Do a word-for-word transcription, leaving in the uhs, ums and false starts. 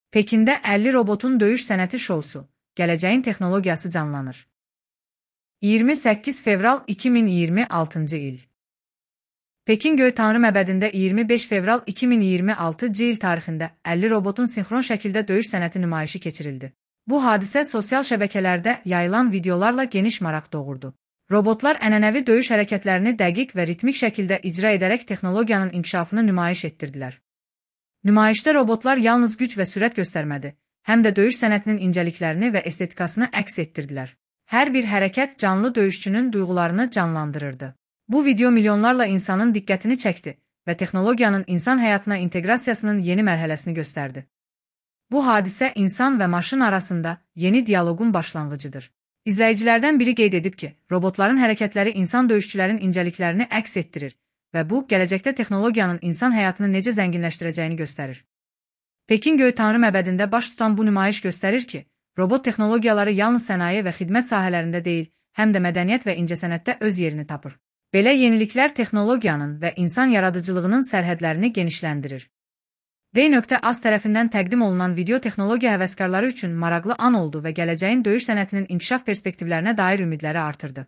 Pekində əlli robotun döyüş sənəti şousu, gələcəyin texnologiyası canlanır. iyirmi səkkiz fevral iki min iyirmi altıncı il. Pekin Göytanrı məbədində iyirmi beş fevral iki min iyirmi altıncı il tarixində əlli robotun sinxron şəkildə döyüş sənəti nümayişi keçirildi. Bu hadisə sosial şəbəkələrdə yayılan videolarla geniş maraq doğurdu. Robotlar ənənəvi döyüş hərəkətlərini dəqiq və ritmik şəkildə icra edərək texnologiyanın inkişafını nümayiş etdirdilər. Nümayişdə robotlar yalnız güc və sürət göstərmədi, həm də döyüş sənətinin incəliklərini və estetikasını əks etdirdilər. Hər bir hərəkət canlı döyüşçünün duyğularını canlandırırdı. Bu video milyonlarla insanın diqqətini çəkdi və texnologiyanın insan həyatına inteqrasiyasının yeni mərhələsini göstərdi. Bu hadisə insan və maşın arasında yeni dialoqun başlanğıcıdır. İzləyicilərdən biri qeyd edib ki, robotların hərəkətləri insan döyüşçülərin incəliklərini əks etdirir və bu, gələcəkdə texnologiyanın insan həyatını necə zənginləşdirəcəyini göstərir. Pekin Göytanrı məbədində baş tutan bu nümayiş göstərir ki, robot texnologiyaları yalnız sənaye və xidmət sahələrində deyil, həm də mədəniyyət və incəsənətdə öz yerini tapır. Belə yeniliklər texnologiyanın və insan yaradıcılığının sərhədlərini genişləndirir. D.Az tərəfindən təqdim olunan video texnologiya həvəskarları üçün maraqlı an oldu və gələcəyin döyüş sənətinin inkişaf perspektivlərinə dair ümidləri artırdı.